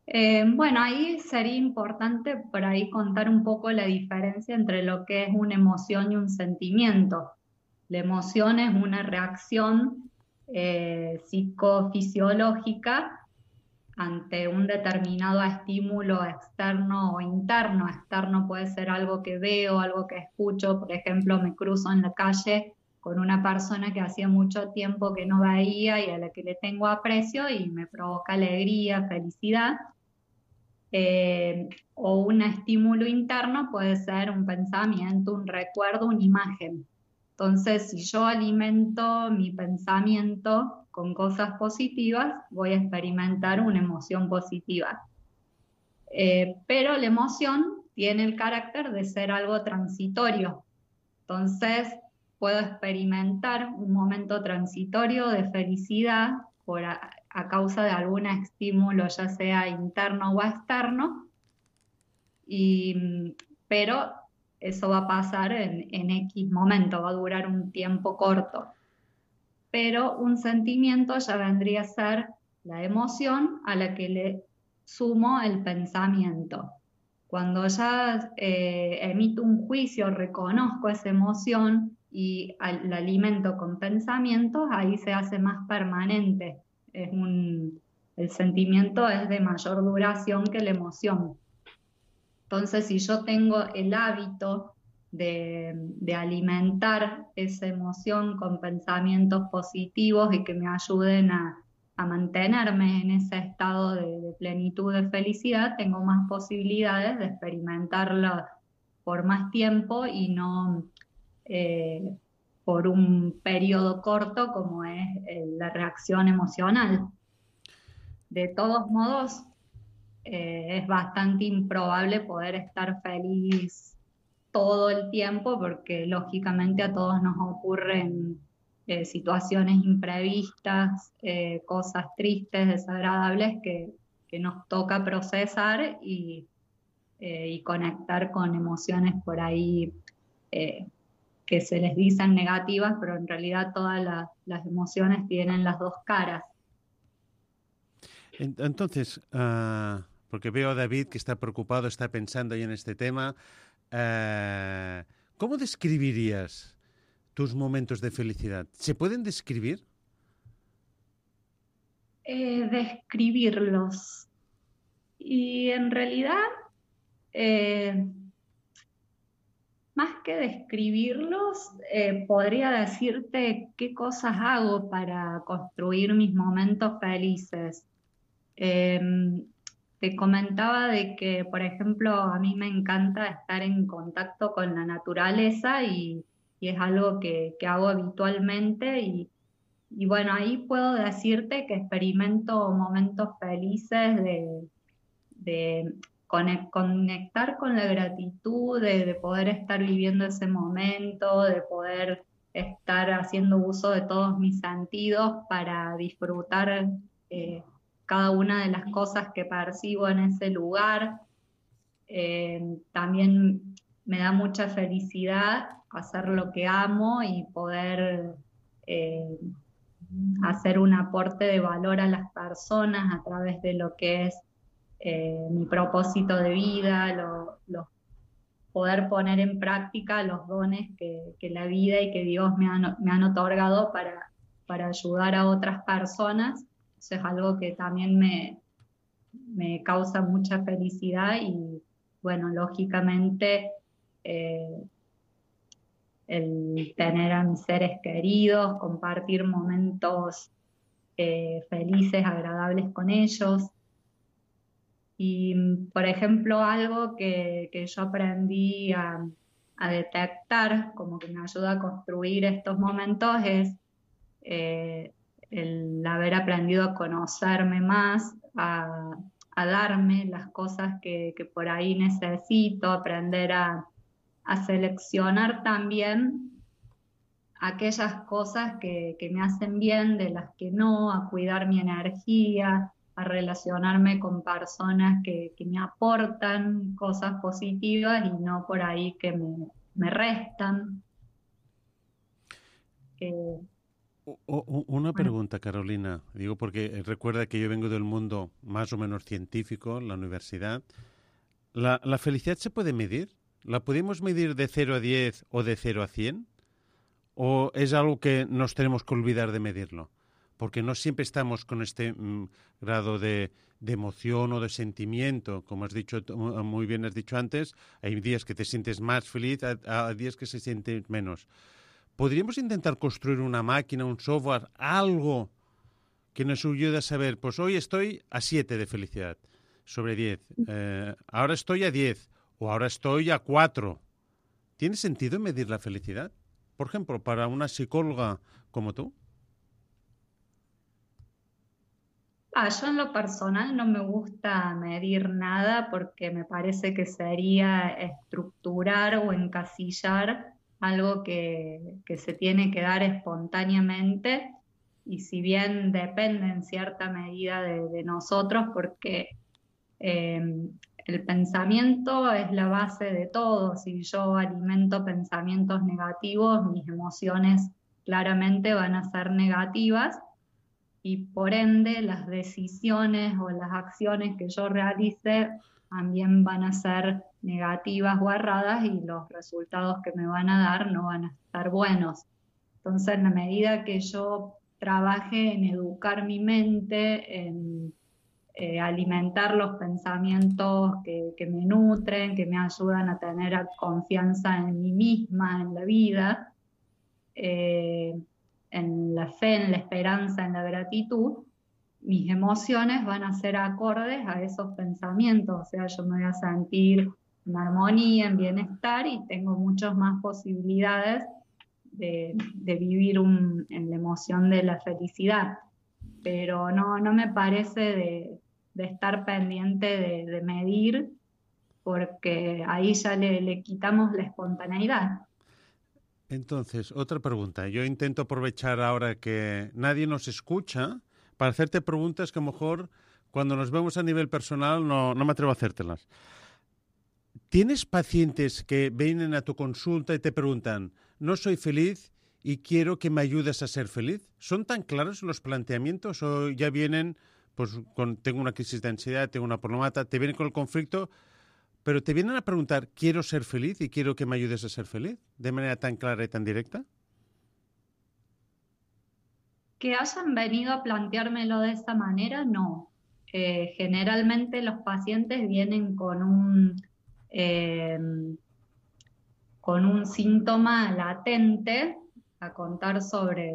Eh, bueno, ahí sería importante por ahí contar un poco la diferencia entre lo que es una emoción y un sentimiento. La emoción es una reacción eh, psicofisiológica ante un determinado estímulo externo o interno. Externo puede ser algo que veo, algo que escucho. Por ejemplo, me cruzo en la calle con una persona que hacía mucho tiempo que no veía y a la que le tengo aprecio y me provoca alegría, felicidad. Eh, o un estímulo interno puede ser un pensamiento, un recuerdo, una imagen. Entonces, si yo alimento mi pensamiento con cosas positivas, voy a experimentar una emoción positiva. Eh, pero la emoción tiene el carácter de ser algo transitorio. Entonces, puedo experimentar un momento transitorio de felicidad por a, a causa de algún estímulo, ya sea interno o externo, y, pero eso va a pasar en, en X momento, va a durar un tiempo corto. Pero un sentimiento ya vendría a ser la emoción a la que le sumo el pensamiento. Cuando ya eh, emito un juicio, reconozco esa emoción y al, la alimento con pensamientos, ahí se hace más permanente. Es un, el sentimiento es de mayor duración que la emoción. Entonces, si yo tengo el hábito de, de alimentar esa emoción con pensamientos positivos y que me ayuden a, a mantenerme en ese estado de, de plenitud, de felicidad, tengo más posibilidades de experimentarlo por más tiempo y no eh, por un periodo corto como es eh, la reacción emocional. De todos modos, Eh, es bastante improbable poder estar feliz todo el tiempo porque lógicamente a todos nos ocurren eh, situaciones imprevistas, eh, cosas tristes, desagradables que, que nos toca procesar y, eh, y conectar con emociones por ahí eh, que se les dicen negativas, pero en realidad todas la, las emociones tienen las dos caras. Entonces, uh, porque veo a David que está preocupado, está pensando ahí en este tema, uh, ¿cómo describirías tus momentos de felicidad? ¿Se pueden describir? Eh, describirlos. Y en realidad, eh, más que describirlos, eh, podría decirte qué cosas hago para construir mis momentos felices. Eh, te comentaba de que, por ejemplo, a mí me encanta estar en contacto con la naturaleza y, y es algo que, que hago habitualmente y, y bueno, ahí puedo decirte que experimento momentos felices de, de conectar con la gratitud, de, de poder estar viviendo ese momento, de poder estar haciendo uso de todos mis sentidos para disfrutar eh, cada una de las cosas que percibo en ese lugar. Eh, también me da mucha felicidad hacer lo que amo y poder eh, hacer un aporte de valor a las personas a través de lo que es eh, mi propósito de vida, lo, lo, poder poner en práctica los dones que, que la vida y que Dios me han, me han otorgado para, para ayudar a otras personas. Eso es algo que también me, me causa mucha felicidad y, bueno, lógicamente eh, el tener a mis seres queridos, compartir momentos eh, felices, agradables con ellos. Y, por ejemplo, algo que, que yo aprendí a, a detectar, como que me ayuda a construir estos momentos, es eh, el haber aprendido a conocerme más, a, a darme las cosas que, que por ahí necesito, aprender a, a seleccionar también aquellas cosas que, que me hacen bien de las que no, a cuidar mi energía, a relacionarme con personas que, que me aportan cosas positivas y no por ahí que me, me restan. Eh, o, o, una pregunta, Carolina. Digo porque recuerda que yo vengo del mundo más o menos científico, la universidad. ¿La, la felicidad se puede medir? ¿La podemos medir de cero a diez o de cero a cien? ¿O es algo que nos tenemos que olvidar de medirlo? Porque no siempre estamos con este mm, grado de, de emoción o de sentimiento. Como has dicho, muy bien has dicho antes, hay días que te sientes más feliz, a, a días que se sienten menos. ¿Podríamos intentar construir una máquina, un software, algo que nos ayude a saber, pues hoy estoy a siete de felicidad sobre diez, eh, ahora estoy a diez o ahora estoy a cuatro? ¿Tiene sentido medir la felicidad? Por ejemplo, para una psicóloga como tú. Ah, yo en lo personal no me gusta medir nada porque me parece que sería estructurar o encasillar algo que, que se tiene que dar espontáneamente y si bien depende en cierta medida de, de nosotros porque eh, el pensamiento es la base de todo. Si yo alimento pensamientos negativos, mis emociones claramente van a ser negativas. Y por ende las decisiones o las acciones que yo realice también van a ser negativas o erradas y los resultados que me van a dar no van a estar buenos. Entonces, en la medida que yo trabaje en educar mi mente, en eh, alimentar los pensamientos que, que me nutren, que me ayudan a tener confianza en mí misma, en la vida, eh, en la fe, en la esperanza, en la gratitud, mis emociones van a ser acordes a esos pensamientos, o sea, yo me voy a sentir en armonía, en bienestar y tengo muchas más posibilidades de, de vivir un, en la emoción de la felicidad, pero no, no me parece de, de estar pendiente de, de medir, porque ahí ya le, le quitamos la espontaneidad. Entonces, otra pregunta. Yo intento aprovechar ahora que nadie nos escucha para hacerte preguntas que a lo mejor cuando nos vemos a nivel personal no, no me atrevo a hacértelas. ¿Tienes pacientes que vienen a tu consulta y te preguntan, no soy feliz y quiero que me ayudes a ser feliz. ¿Son tan claros los planteamientos o ya vienen, pues con, tengo una crisis de ansiedad, tengo una problemática, te vienen con el conflicto, pero te vienen a preguntar, ¿quiero ser feliz y quiero que me ayudes a ser feliz? ¿De manera tan clara y tan directa? Que hayan venido a planteármelo de esa manera, no. Eh, generalmente los pacientes vienen con un, eh, con un síntoma latente a contar sobre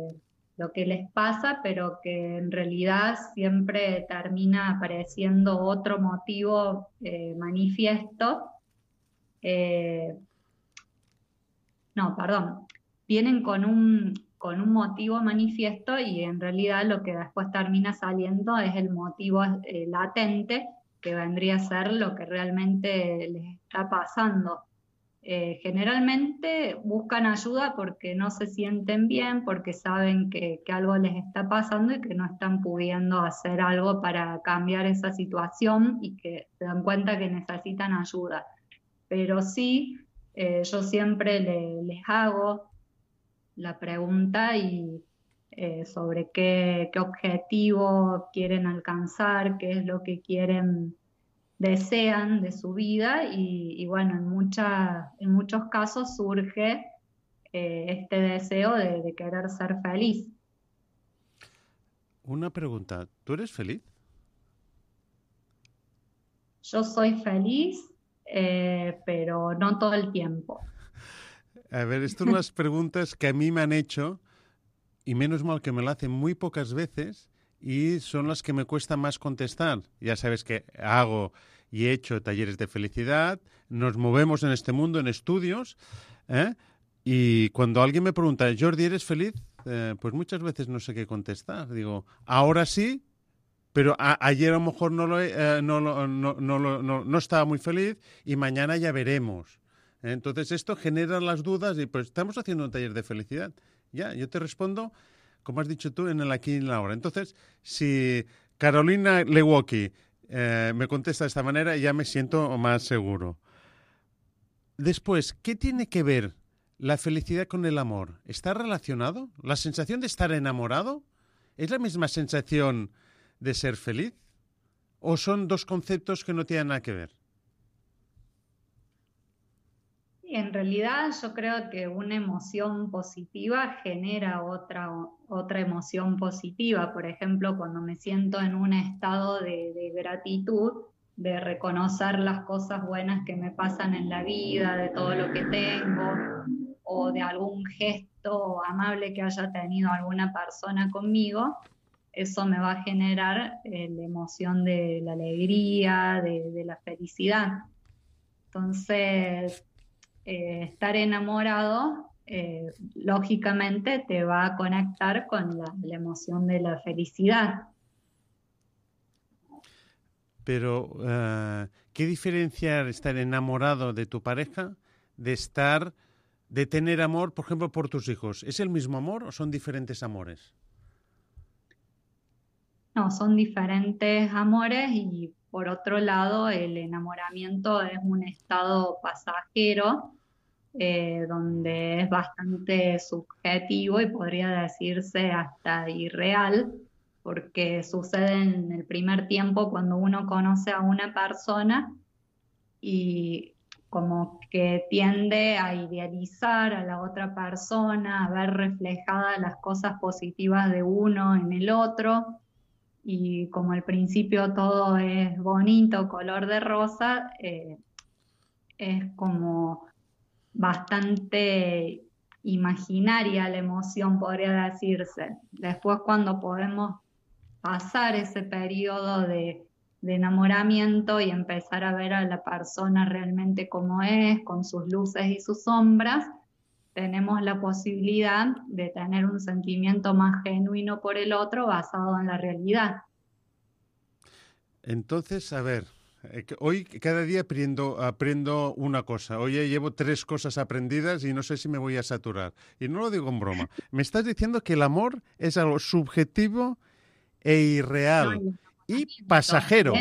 lo que les pasa, pero que en realidad siempre termina apareciendo otro motivo eh, manifiesto. Eh, no, perdón. Vienen con un, con un motivo manifiesto y en realidad lo que después termina saliendo es el motivo eh, latente, que vendría a ser lo que realmente les está pasando. Eh, generalmente buscan ayuda porque no se sienten bien, porque saben que, que algo les está pasando y que no están pudiendo hacer algo para cambiar esa situación y que se dan cuenta que necesitan ayuda. Pero sí, eh, yo siempre le, les hago la pregunta y, eh, sobre qué, qué objetivo quieren alcanzar, qué es lo que quieren desean de su vida y, y bueno, en, mucha, en muchos casos surge eh, este deseo de, de querer ser feliz. Una pregunta, ¿tú eres feliz? Yo soy feliz, eh, pero no todo el tiempo. A ver, estas son las preguntas que a mí me han hecho y menos mal que me lo hacen muy pocas veces y son las que me cuesta más contestar. Ya sabes que hago y he hecho talleres de felicidad, nos movemos en este mundo, en estudios, ¿eh? Y cuando alguien me pregunta, Jordi, ¿eres feliz? Eh, pues muchas veces no sé qué contestar. Digo, ahora sí, pero a, ayer a lo mejor no, lo, eh, no, no, no, no, no, no estaba muy feliz y mañana ya veremos. ¿Eh? Entonces esto genera las dudas y pues estamos haciendo un taller de felicidad. Ya, yo te respondo, como has dicho tú, en el aquí y en la ahora. Entonces, si Carolina Lewoki eh, me contesta de esta manera, ya me siento más seguro. Después, ¿qué tiene que ver la felicidad con el amor? ¿Está relacionado? ¿La sensación de estar enamorado es la misma sensación de ser feliz? ¿O son dos conceptos que no tienen nada que ver? En realidad yo creo que una emoción positiva genera otra, otra emoción positiva. Por ejemplo, cuando me siento en un estado de, de gratitud, de reconocer las cosas buenas que me pasan en la vida, de todo lo que tengo, o de algún gesto amable que haya tenido alguna persona conmigo, eso me va a generar eh, la emoción de la alegría, de, de la felicidad. Entonces, Eh, estar enamorado, eh, lógicamente te va a conectar con la, la emoción de la felicidad. Pero, uh, ¿qué diferenciar estar enamorado de tu pareja de estar, de tener amor, por ejemplo, por tus hijos? ¿Es el mismo amor o son diferentes amores? No, son diferentes amores y por otro lado el enamoramiento es un estado pasajero eh, donde es bastante subjetivo y podría decirse hasta irreal porque sucede en el primer tiempo cuando uno conoce a una persona y como que tiende a idealizar a la otra persona, a ver reflejadas las cosas positivas de uno en el otro. Y como al principio todo es bonito, color de rosa, eh, es como bastante imaginaria la emoción, podría decirse. Después cuando podemos pasar ese periodo de, de enamoramiento y empezar a ver a la persona realmente como es, con sus luces y sus sombras, tenemos la posibilidad de tener un sentimiento más genuino por el otro basado en la realidad. Entonces, a ver, hoy cada día aprendo, aprendo una cosa. Hoy ya llevo tres cosas aprendidas y no sé si me voy a saturar. Y no lo digo en broma. Me estás diciendo que el amor es algo subjetivo e irreal y pasajero.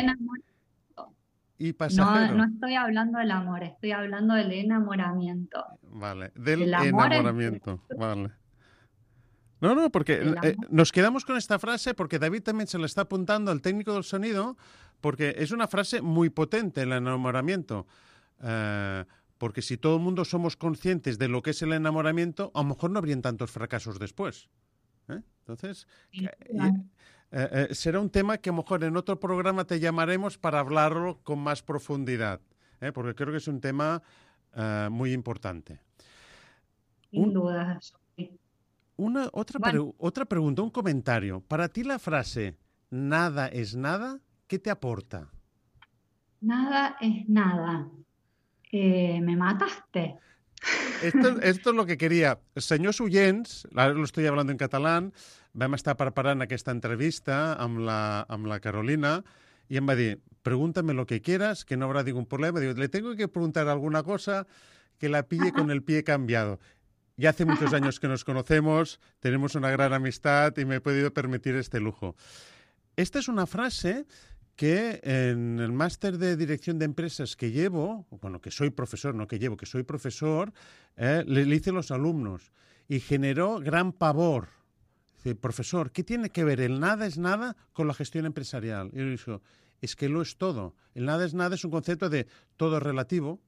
y No, pasajero. no estoy hablando del amor, estoy hablando del enamoramiento. Vale, del El amor es- enamoramiento. Vale. No, no, porque El eh, amor. nos quedamos con esta frase porque David también se la está apuntando al técnico del sonido, porque es una frase muy potente, el enamoramiento. Eh, porque si todo el mundo somos conscientes de lo que es el enamoramiento, a lo mejor no habrían tantos fracasos después. ¿Eh? Entonces, Sin que- duda. y- eh, eh, será un tema que a lo mejor en otro programa te llamaremos para hablarlo con más profundidad, ¿eh? Porque creo que es un tema eh, muy importante. Sin Un- duda. Una, otra, Bueno. pre- otra pregunta, un comentario. Para ti la frase nada es nada, ¿qué te aporta? Nada es nada. Eh, me mataste. Esto, esto és el que queria. Senyors oients, ara lo estoy hablando en catalán, vam estar preparant aquesta entrevista amb la, amb la Carolina i em va dir, pregúntame lo que quieras, que no habrá ningún problema. Digo, le tengo que preguntar alguna cosa que la pille con el pie cambiado. Ya hace muchos años que nos conocemos, tenemos una gran amistad y me he podido permitir este lujo. Esta es una frase que en el máster de dirección de empresas que llevo, bueno, que soy profesor, no que llevo, que soy profesor, eh, le, le hice a los alumnos y generó gran pavor. Dice, profesor, ¿qué tiene que ver el nada es nada con la gestión empresarial? Y yo digo, es que lo es todo. El nada es nada es un concepto de todo relativo,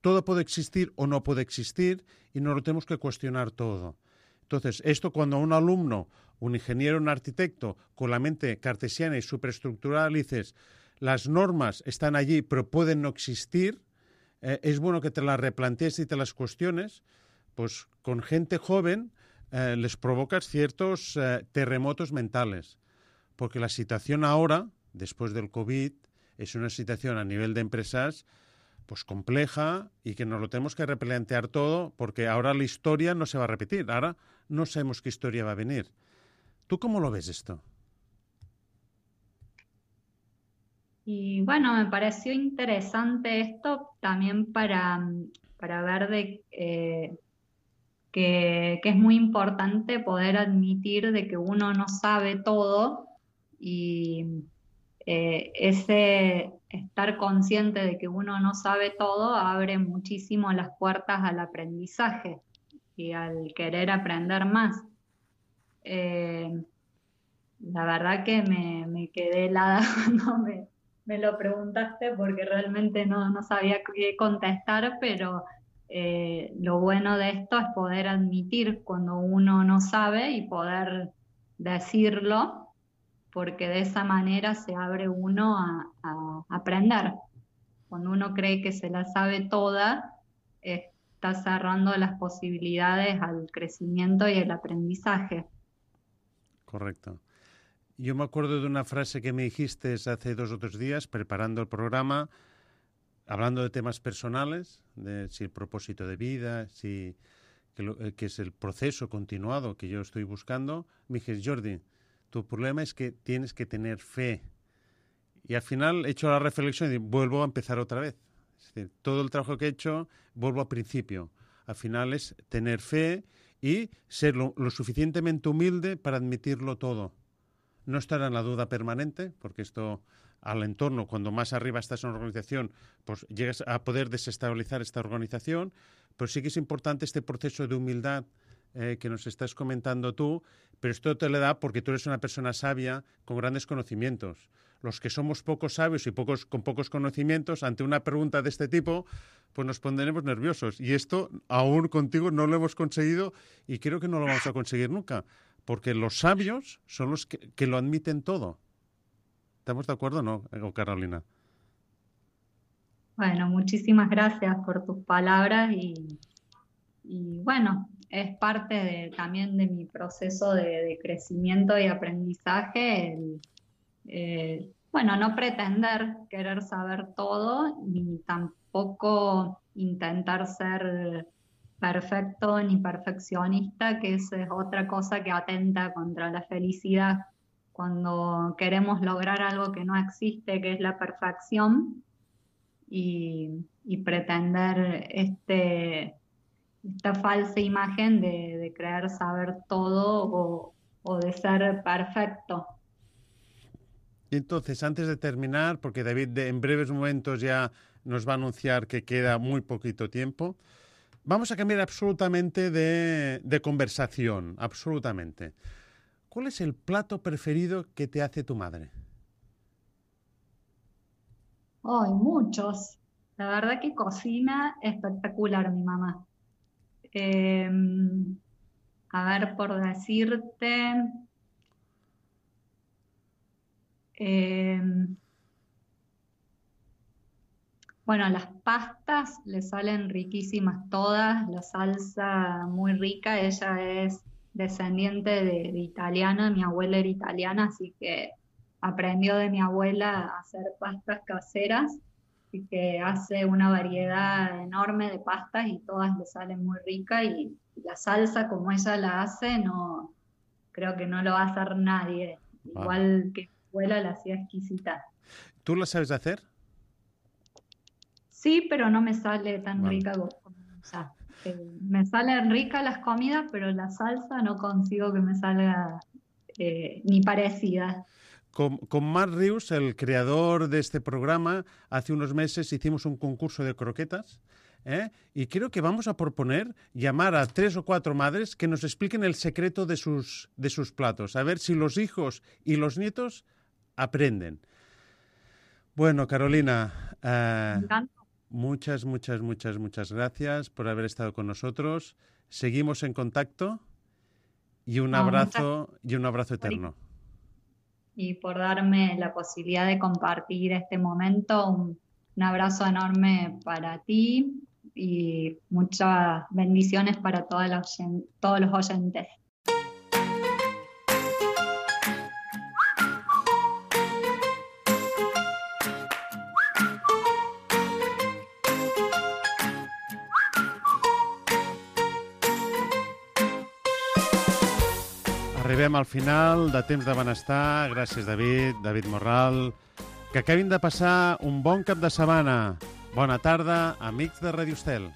todo puede existir o no puede existir y no lo tenemos que cuestionar todo. Entonces, esto cuando a un alumno, un ingeniero, un arquitecto, con la mente cartesiana y superestructurada, le dices, las normas están allí pero pueden no existir, eh, es bueno que te las replantees y te las cuestiones, pues con gente joven eh, les provocas ciertos eh, terremotos mentales, porque la situación ahora, después del COVID, es una situación a nivel de empresas pues compleja y que nos lo tenemos que replantear todo porque ahora la historia no se va a repetir. Ahora no sabemos qué historia va a venir. ¿Tú cómo lo ves esto? Y bueno, me pareció interesante esto también para, para ver de, eh, que, que es muy importante poder admitir de que uno no sabe todo y eh, ese estar consciente de que uno no sabe todo abre muchísimo las puertas al aprendizaje y al querer aprender más. Eh, la verdad que me, me quedé helada cuando me, me lo preguntaste porque realmente no, no sabía qué contestar, pero eh, lo bueno de esto es poder admitir cuando uno no sabe y poder decirlo, porque de esa manera se abre uno a, a aprender. Cuando uno cree que se la sabe toda, está cerrando las posibilidades al crecimiento y el aprendizaje. Correcto. Yo me acuerdo de una frase que me dijiste hace dos o tres días, preparando el programa, hablando de temas personales, de si el propósito de vida, si que, lo, que es el proceso continuado que yo estoy buscando. Me dijiste, Jordi, tu problema es que tienes que tener fe. Y al final he hecho la reflexión y vuelvo a empezar otra vez. Es decir, todo el trabajo que he hecho, vuelvo al principio. Al final es tener fe y ser lo, lo suficientemente humilde para admitirlo todo. No estar en la duda permanente, porque esto al entorno, cuando más arriba estás en una organización, pues llegas a poder desestabilizar esta organización, pero sí que es importante este proceso de humildad eh, que nos estás comentando tú, pero esto te lo da porque tú eres una persona sabia con grandes conocimientos. Los que somos pocos sabios y pocos con pocos conocimientos, ante una pregunta de este tipo, pues nos pondremos nerviosos. Y esto aún contigo no lo hemos conseguido y creo que no lo vamos a conseguir nunca. Porque los sabios son los que, que lo admiten todo. ¿Estamos de acuerdo o no, Carolina? Bueno, muchísimas gracias por tus palabras y, y bueno, es parte de, también de mi proceso de, de crecimiento y aprendizaje, el, eh, bueno, no pretender querer saber todo, ni tampoco intentar ser perfecto ni perfeccionista, que esa es otra cosa que atenta contra la felicidad. Cuando queremos lograr algo que no existe, que es la perfección, y, y pretender este, esta falsa imagen de, de creer saber todo o, o de ser perfecto. Y entonces, antes de terminar, porque David de, en breves momentos ya nos va a anunciar que queda muy poquito tiempo, vamos a cambiar absolutamente de, de conversación, absolutamente. ¿Cuál es el plato preferido que te hace tu madre? Oh, hay muchos. La verdad que cocina espectacular mi mamá. Eh, a ver, por decirte... Eh, bueno, las pastas le salen riquísimas todas, la salsa muy rica, ella es descendiente de, de italiana, mi abuela era italiana, así que aprendió de mi abuela a hacer pastas caseras, así que hace una variedad enorme de pastas y todas le salen muy ricas y la salsa como ella la hace, no creo que no lo va a hacer nadie, igual que abuela la hacía exquisita. ¿Tú la sabes hacer? Sí, pero no me sale tan Vale. rica como ella. Eh, me salen ricas las comidas, pero la salsa no consigo que me salga eh, ni parecida. Con, con Marc Rius, el creador de este programa, hace unos meses hicimos un concurso de croquetas, ¿eh? Y creo que vamos a proponer llamar a tres o cuatro madres que nos expliquen el secreto de sus, de sus platos, a ver si los hijos y los nietos aprenden. Bueno, Carolina, eh, muchas, muchas, muchas, muchas gracias por haber estado con nosotros. Seguimos en contacto y un No, abrazo y un abrazo eterno. Y por darme la posibilidad de compartir este momento, un, un abrazo enorme para ti y muchas bendiciones para toda la oyen- todos los oyentes. Arribem al final de Temps de Benestar. Gràcies, David, David Morral. Que acabin de passar un bon cap de setmana. Bona tarda, amics de Radio Estel.